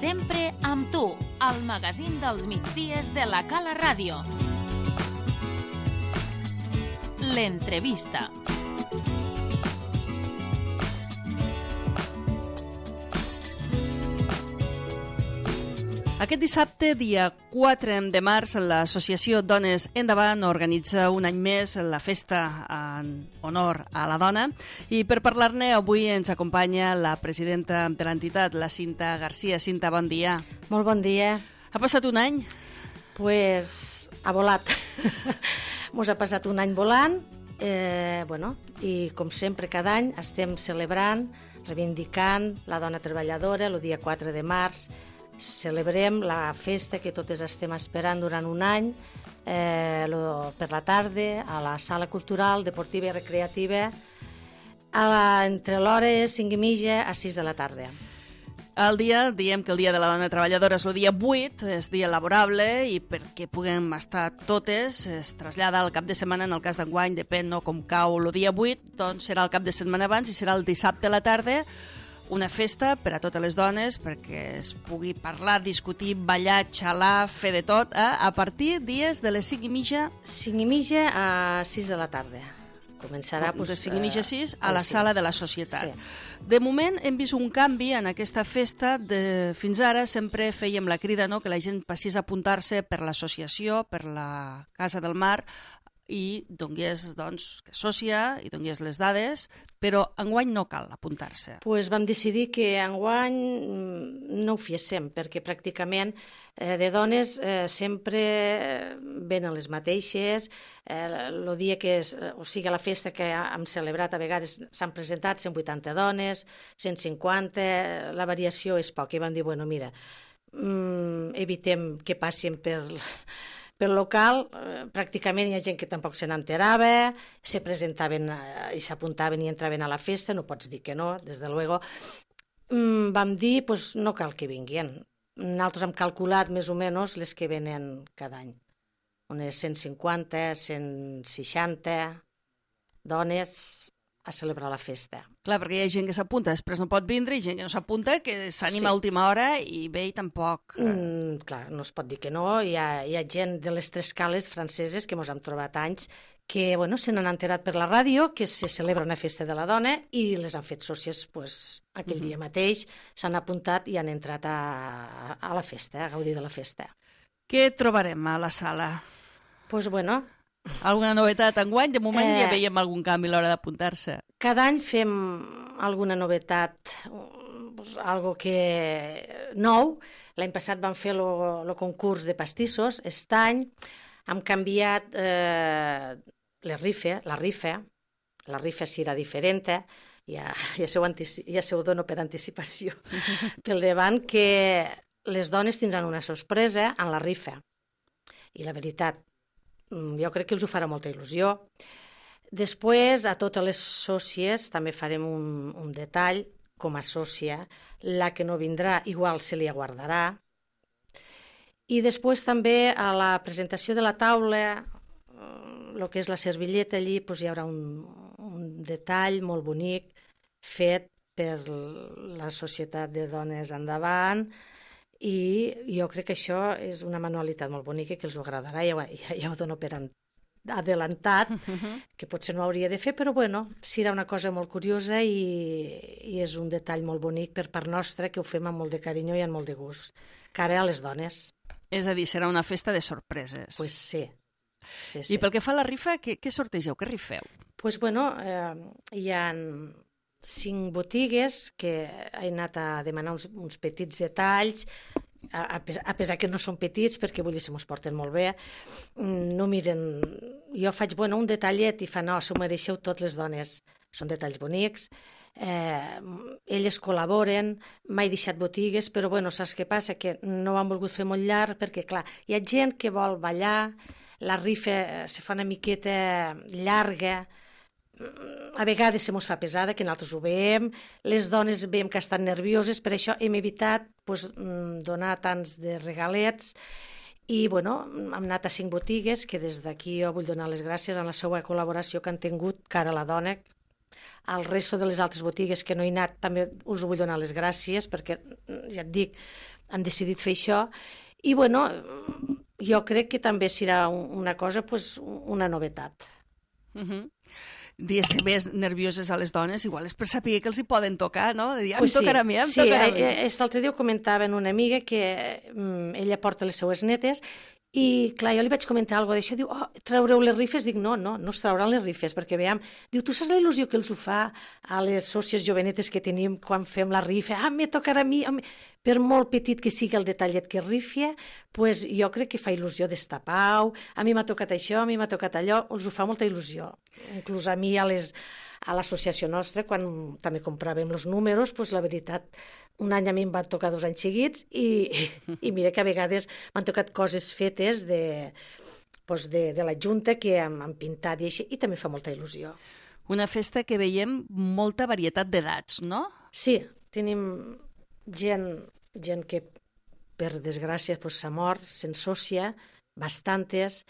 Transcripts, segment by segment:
Sempre amb tu, al magazín dels migdies de la Cala Ràdio. L'entrevista. Aquest dissabte, dia 4 de març, l'associació Dones Endavant organitza un any més la festa en honor a la dona i per parlar-ne avui ens acompanya la presidenta de l'entitat, la Cinta Garcia. Cinta, bon dia. Molt bon dia. Ha passat un any? Pues ha volat. Mos ha passat un any volant i com sempre cada any estem celebrant, reivindicant la dona treballadora. El dia 4 de març celebrem la festa que totes estem esperant durant un any per la tarda a la sala cultural, deportiva i recreativa entre l'hores 5:30 a 6 de la tarda. Diem que el dia de la dona treballadora és el dia 8, és dia laborable i perquè puguem estar totes es trasllada al cap de setmana, en el cas d'enguany depèn com cau el dia 8, doncs serà el cap de setmana abans i serà el dissabte a la tarda. Una festa per a totes les dones perquè es pugui parlar, discutir, ballar, xalar, fer de tot a partir dies de les 5:30 5:30 a 6 de la tarda. Començarà de 5:30 a 6 a la 6. sala de la societat. Sí. De moment hem vist un canvi en aquesta festa. Fins ara sempre fèiem la crida que la gent passés a apuntar-se per l'associació, per la Casa del Mar, i donés, que sòcia i donés les dades, però enguany no cal apuntar-se. Pues vam decidir que enguany no ho féssim, perquè pràcticament de dones sempre venen les mateixes. El dia que és, la festa que hem celebrat, a vegades s'han presentat 180 dones, 150, la variació és poca. I vam dir, mira, evitem que passin pel local, pràcticament hi ha gent que tampoc se n'enterava, se presentaven i s'apuntaven i entraven a la festa, no pots dir que no, des de luego. Vam dir, no cal que vinguin. Nosaltres hem calculat més o menys les que venen cada any. Unes 150, 160 dones a celebrar la festa. Clar, perquè hi ha gent que s'apunta, després no pot vindre, i gent que no s'apunta, que s'anima a última hora i ve i tampoc... Clar, no es pot dir que no. Hi ha gent de les tres cales franceses que ens hem trobat anys que se n'han enterat per la ràdio que se celebra una festa de la dona i les han fet sòcies aquell dia mateix, s'han apuntat i han entrat a la festa, a gaudir de la festa. Què trobarem a la sala? Alguna novetat enguany? De moment ja veiem algun canvi a l'hora d'apuntar-se. Cada any fem alguna novetat, algo que nou. L'any passat vam fer el concurs de pastissos. Aquest any hem canviat la rifa. La rifa serà diferent, ja se ho dono per anticipació pel davant, que les dones tindran una sorpresa en la rifa. I la veritat, jo crec que els ho farà molta il·lusió. Després, a totes les sòcies també farem un detall com a sòcia. La que no vindrà, igual se li aguardarà. I després també a la presentació de la taula, el que és la servilleta allí, hi haurà un detall molt bonic fet per la Societat de Dones Endavant. I jo crec que això és una manualitat molt bonica que els agradarà, ja ho dono per adelantat, que potser no hauria de fer, però serà una cosa molt curiosa i és un detall molt bonic per part nostra, que ho fem amb molt de carinyo i amb molt de gust, cara a les dones. És a dir, serà una festa de sorpreses. Pues sí. I pel que fa a la rifa, què sortegeu, què rifeu? Hi ha 5 botigues que he anat a demanar uns petits detalls, a pesar que no són petits, perquè vull dir, se mos porten molt bé. No miren... Jo faig un detallet i fa, no, s'ho mereixeu totes les dones. Són detalls bonics. Elles col·laboren, mai deixat botigues, però saps què passa? Que no ho han volgut fer molt llarg, perquè clar, hi ha gent que vol ballar, la rifa se fa una miqueta llarga, a vegades se mos fa pesada, que nosaltres ho veiem, les dones veiem que estan nervioses, per això hem evitat donar tants de regalets i hem anat a 5 botigues que des d'aquí jo vull donar les gràcies a la seva col·laboració que han tingut cara a la dona, Al resto de les altres botigues que no he anat també us vull donar les gràcies perquè, ja et dic, han decidit fer això. I, bueno, jo crec que també serà una cosa, pues, una novetat. Dies que més nervioses a les dones, igual és per saber que els hi poden tocar, no? De dir, em tocarà a mi, em tocarà a mi. Sí, l'altre dia ho comentava amb una amiga que ella porta les seues netes i, clar, jo li vaig comentar alguna cosa d'això, diu, traureu les rifes? Dic, no es trauran les rifes, perquè veiem, diu, tu saps la il·lusió que els ho fa a les sòcies jovenetes que tenim quan fem la rifa? Me tocarà a mi. Per molt petit que sigui el detallet que rifia, pues jo crec que fa il·lusió d'estar a pau, a mi m'ha tocat això, a mi m'ha tocat allò, els ho fa molta il·lusió. Inclús a mi, a l'associació nostra, quan també compràvem els números, pues la veritat, un any a mi em van tocar 2 anys seguits i mira que a vegades m'han tocat coses fetes de la Junta que han pintat i així, i també fa molta il·lusió. Una festa que veiem molta varietat d'edats, no? Sí, tenim gent que, per desgràcia, s'ha mort, se'n socia, bastantes,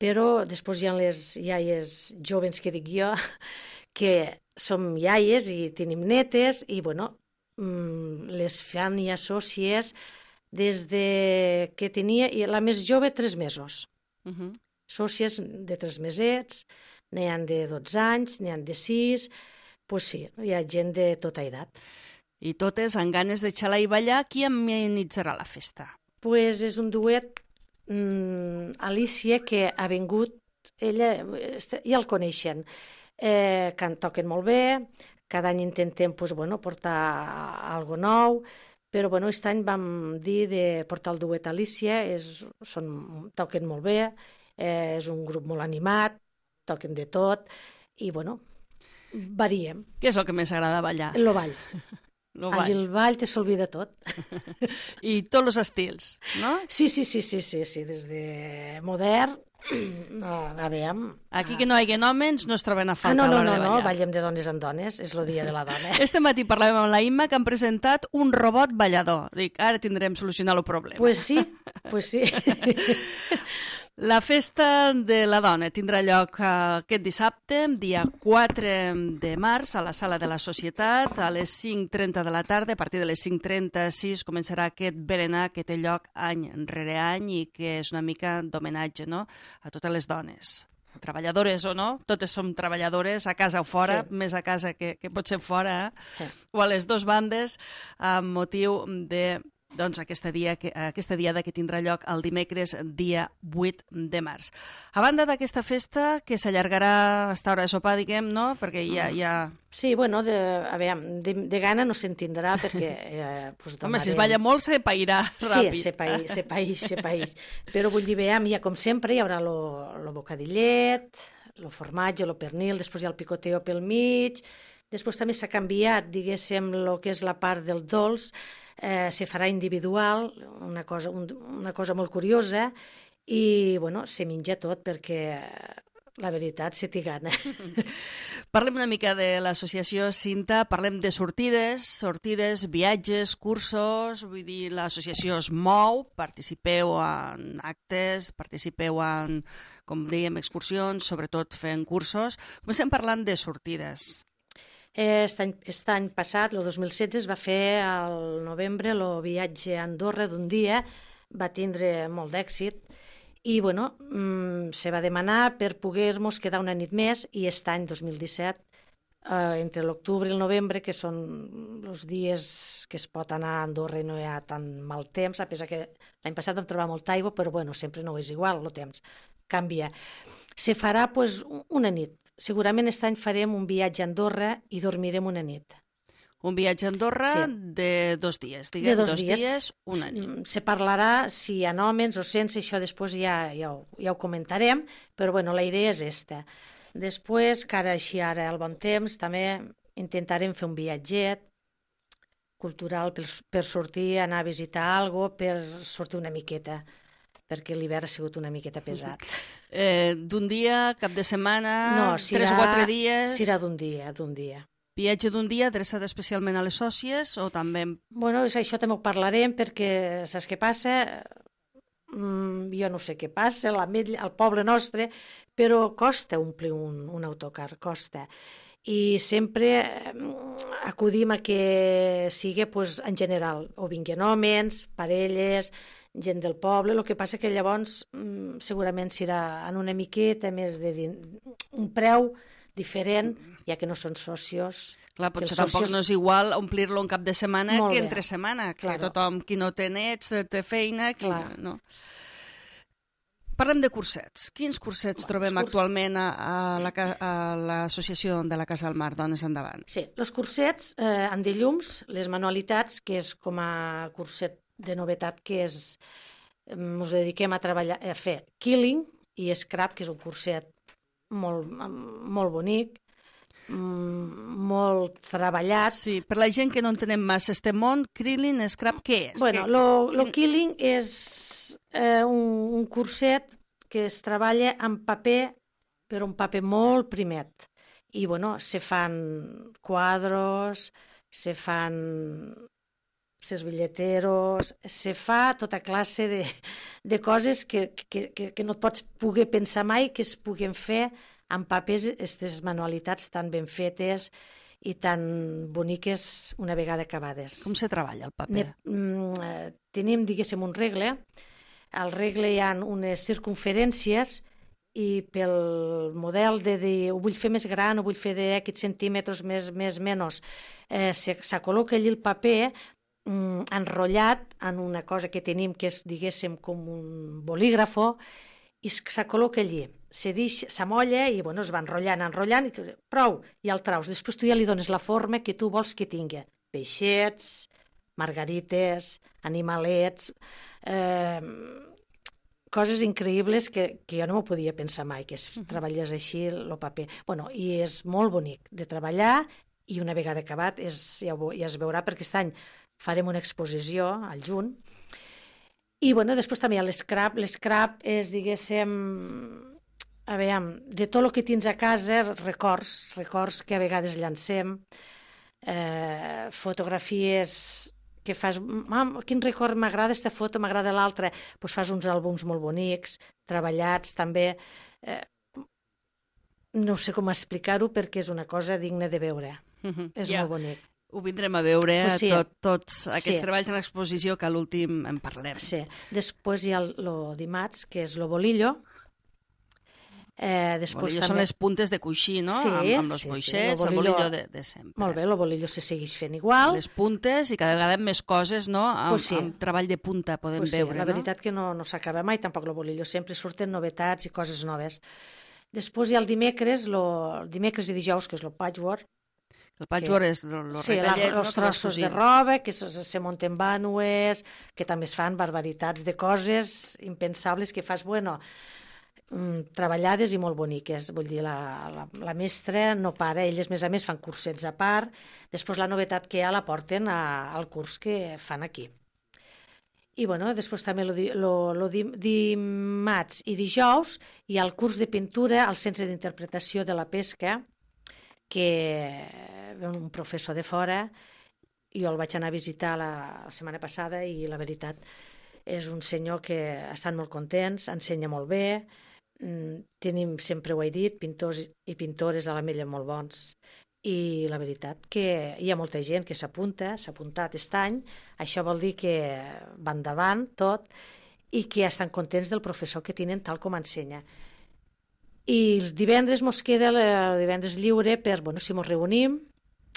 però després hi ha les iaies joves que dic jo, que som iaies i tenim netes i, bueno, les fan ja sòcies des de que tenia, la més jove, 3 mesos. Sòcies de 3 mesets, n'hi ha de 12 anys, n'hi ha de 6, doncs sí, hi ha gent de tota edat. I totes amb ganes de xalar i ballar. Qui amenitzarà la festa? Pues és un duet, Alicia, que ha vingut, ella ja el coneixen, toquen molt bé, cada any intentem portar algo nou, però aquest any vam dir de portar el duet Alicia, toquen molt bé, és un grup molt animat, toquen de tot, i variem. Què és el que més agrada ballar? El ball. Allí el ball te s'olvida tot. I tots els estils, no? Sí, des de modern, a veure... Aquí que no hi hagi homes no es troben a faltar a l'hora de ballar. No, ballem de dones en dones, és el dia de la dona. Este matí parlàvem amb la Imma que han presentat un robot ballador. Dic, ara tindrem solucionat el problema. Pues sí. La festa de la dona tindrà lloc aquest dissabte, dia 4 de març, a la Sala de la Societat, a les 5:30 de la tarda. A partir de les 5:36 començarà aquest berenar que té lloc any rere any i que és una mica d'homenatge, no?, a totes les dones. Treballadores o no, totes som treballadores, a casa o fora, sí. Més a casa que pot ser fora, sí. O a les dues bandes, amb motiu de aquesta diada que tindrà lloc el dimecres, dia 8 de març. A banda d'aquesta festa, que s'allargarà a esta hora de sopar, diguem, no?, perquè ja... Sí, de gana no se'n tindrà, perquè... Home, si es balla molt, se pairà ràpid. Sí, se paeix. Però vull dir, ja com sempre, hi haurà el bocadillet, el formatge, el pernil, després hi ha el picoteo pel mig, després també s'ha canviat, diguéssim, el que és la part del dolç, se farà individual, una cosa molt curiosa, i, se menja tot perquè, la veritat, se t'hi gana. Parlem una mica de l'associació Cinta, parlem de sortides, viatges, cursos, vull dir, l'associació es mou, participeu en actes, participeu en, com dèiem, excursions, sobretot fent cursos. Comencem parlant de sortides. Aquest any passat, el 2016, es va fer al novembre el viatge a Andorra d'un dia, va tindre molt d'èxit i se va demanar per poder-nos quedar una nit més i aquest any 2017, entre l'octubre i el novembre, que són els dies que es pot anar a Andorra i no hi ha tan mal temps, a pesar que l'any passat vam trobar molta aigua, però sempre no és igual, el temps canvia. Se farà una nit. Segurament aquest any farem un viatge a Andorra i dormirem una nit. Un viatge a Andorra de 2 dies, diguem, de 2 dies, una nit. Se parlarà si hi ha hòmens o sense, això després ja ho comentarem, però la idea és aquesta. Després, que ara al bon temps, també intentarem fer un viatget cultural per sortir, anar a visitar alguna cosa, per sortir una miqueta, perquè l'hivern ha sigut una miqueta pesat. D'un dia, cap de setmana, 3 o 4 dies... Serà d'un dia. Viatge d'un dia adreçat especialment a les sòcies o també... Això també ho parlarem perquè saps què passa? Jo no sé què passa, al poble nostre, però costa omplir un autocar, costa. i sempre acudim a que sigui en general, o vinguin homes, parelles, gent del poble. El que passa que llavors segurament serà en una miqueta més un preu diferent, ja que no són socios. Clar, potser tampoc no és igual omplir-lo un cap de setmana que entre setmana, que tothom, qui no té nets, té feina, no. Parlem de cursets. Quins cursets trobem actualment a l'associació de la Casa del Mar, Dones Endavant? Sí, els cursets en llums, les manualitats, que és com a curset de novetat, que és, ens dediquem a treballar, a fer quilling i scrap, que és un curset molt bonic, molt treballat. Sí, per la gent que no entenem massa este món, quilling, scrap, què és? Bueno, el quilling és un curset que es treballa amb paper, però un paper molt primet. I, bueno, se fan quadros, se fan servilleteros, se fa tota classe de coses que no et pots poder pensar mai que es puguen fer amb papers, aquestes manualitats tan ben fetes i tan boniques una vegada acabades. Com se treballa el paper? Tenim, diguéssim, un regle. Al regle hi ha unes circunferències i pel model de dir ho vull fer més gran, ho vull fer d'aquests centímetres més, menys, s'acol·loca allí el paper enrotllat en una cosa que tenim que és, diguéssim, com un bolígrafo, i s'acol·loca allí. S'amolla i es va enrotllant, i prou, i el traus. Després tu ja li dones la forma que tu vols que tingui. Peixets, margarites, animalets, coses increïbles que jo no m'ho podia pensar mai, que es treballés així el paper. I és molt bonic de treballar, i una vegada acabat ja es veurà, perquè aquest any farem una exposició al juny. I després també hi ha l'escrap. L'escrap és, diguéssim, de tot el que tens a casa, records que a vegades llancem, fotografies que fas, quin record m'agrada aquesta foto, m'agrada l'altra, doncs fas uns àlbums molt bonics, treballats també, no sé com explicar-ho perquè és una cosa digna de veure, és molt bonic. Ho vindrem a veure, tots aquests treballs en l'exposició, que a l'últim en parlem. Sí, després hi ha el dimarts, que és el bolillo. Són les puntes de coixí, no? Amb els coixets, el bolillo de sempre. Molt bé, el bolillo se segueix fent igual. Les puntes i cada vegada més coses, no? Amb treball de punta podem veure, no? La veritat que no s'acaba mai, tampoc el bolillo. Sempre surten novetats i coses noves. Després hi ha el dimecres i dijous, que és el patchwork. El patchwork és els retallets, els trossos de roba, que se munten vànues, que també es fan barbaritats de coses impensables que fas, treballades i molt boniques. Vull dir, la mestra no para, elles més a més fan cursets a part, després la novetat que hi ha la porten al curs que fan aquí. I després també dimarts i dijous hi ha el curs de pintura al Centre d'Interpretació de la Pesca, que ve un professor de fora, jo el vaig anar a visitar la setmana passada i la veritat és un senyor que estan molt contents, ensenya molt bé, tenim, sempre ho he dit, pintors i pintores a l'Ametlla molt bons, i la veritat que hi ha molta gent que s'ha apuntat aquest any, això vol dir que va endavant tot i que estan contents del professor que tenen tal com ensenya. I els divendres mos queda el divendres lliure per, si mos reunim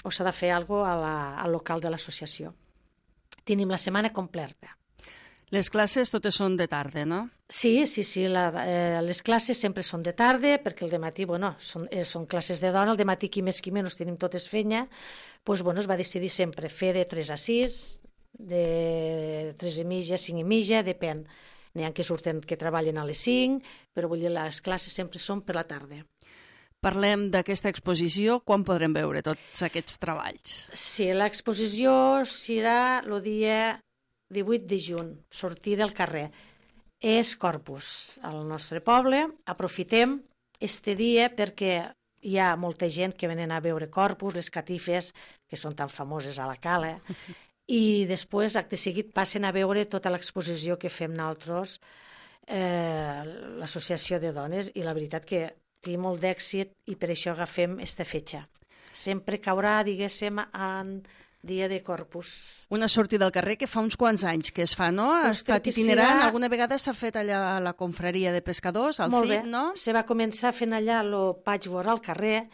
o s'ha de fer alguna cosa al local de l'associació. Tenim la setmana completa. Les classes totes són de tarda, no? Sí, les classes sempre són de tarda, perquè el dematí, són classes de dona, el dematí qui més qui menys tenim totes feina, es va decidir sempre fer de 3 a 6, de 3 i mitja, 5 i mitja, depèn. N'hi ha que surten que treballen a les 5, però vull dir, les classes sempre són per la tarda. Parlem d'aquesta exposició, quan podrem veure tots aquests treballs? Sí, l'exposició serà el dia 18 de juny, sortir del carrer. És Corpus, al nostre poble. Aprofitem este dia perquè hi ha molta gent que venen a veure Corpus, les catifes, que són tan famoses a la cala, i després, acte seguit, passen a veure tota l'exposició que fem nosaltres, l'associació de dones, i la veritat que té molt d'èxit i per això agafem aquesta fetge. Sempre caurà, diguéssim, en dia de Corpus. Una sortida al carrer que fa uns quants anys que es fa, no? Ha Doncs estat crec que itinerant, serà- alguna vegada s'ha fet allà a la confraria de pescadors, al Molt CIP, bé. no? Se va començar fent allà el patchwork al carrer,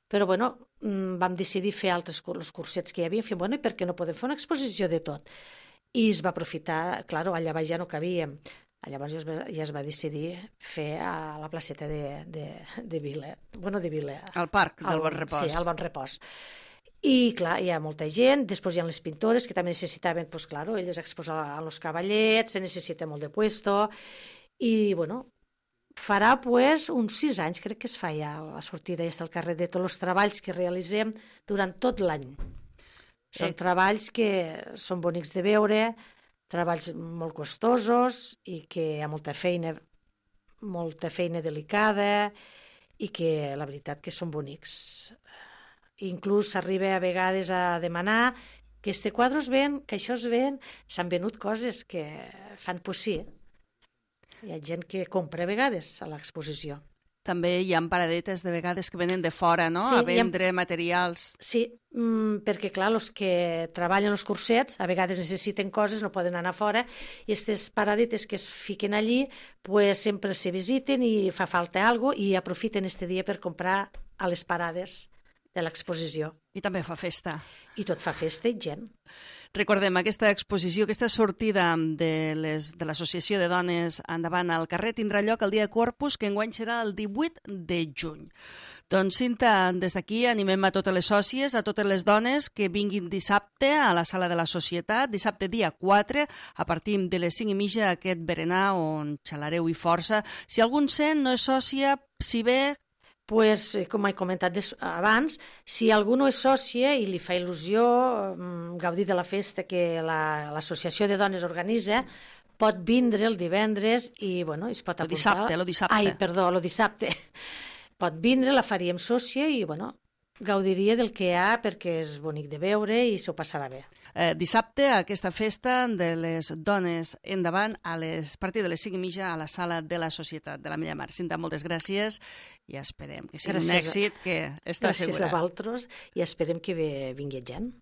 però bueno, vam decidir fer altres els cursets que hi havia, fem, bueno, i per què no podem fer una exposició de tot? I es va aprofitar, clar, allà baix ja no cabíem. Llavors ja es va decidir fer a la placeta de Vila, de Vila. Al parc del Bon Repòs. Sí, al Bon Repòs. I, clar, hi ha molta gent, després hi ha les pintores que també necessitaven, doncs, clar, elles exposar els cavallets, se necessita molt de puesto, i, bueno, farà, pues, uns 6 anys, crec que es fa ja la sortida al carrer de tots els treballs que realitzem durant tot l'any. Són treballs que són bonics de veure, treballs molt costosos i que hi ha molta feina delicada i que la veritat que són bonics. Inclús s'arriba a vegades a demanar que este quadre es ven, que això es ven, s'han venut coses que fan possible. Hi ha gent que compra a vegades a l'exposició. També hi ha paradetes de vegades que venen de fora, no? Sí, a vendre materials. Sí, perquè clar, els que treballen els cursets a vegades necessiten coses, no poden anar fora, i aquestes paradetes que es fiquen allí pues, sempre se visiten i fa falta alguna cosa i aprofiten este dia per comprar a les parades de l'exposició. I també fa festa. I tot fa festa i gent. Recordem, aquesta exposició, aquesta sortida de l'Associació de Dones Endavant al carrer tindrà lloc el dia de Corpus, que enguany serà el 18 de juny. Doncs, Cinta, des d'aquí animem a totes les sòcies, a totes les dones que vinguin dissabte a la Sala de la Societat, dissabte dia 4, a partir de les 5:30, aquest berenar on xalareu i força. Si algun sent no és sòcia, si ve... Pues, com he comentat abans, si algú no és sòcia i li fa il·lusió gaudir de la festa que l'Associació de Dones organitza, pot vindre el divendres i bueno, es pot apuntar... Lo dissabte. Ai, perdó, el dissabte. Pot vindre, la faríem sòcia i bueno, gaudiria del que hi ha perquè és bonic de veure i s'ho passarà bé. Dissabte, aquesta festa de les dones endavant a partir de les 5:30 a la Sala de la Societat de la Mella Mar. Cinta, moltes gràcies i esperem que sigui un èxit que està segura. Gràcies a vosaltres i esperem que vingui gent.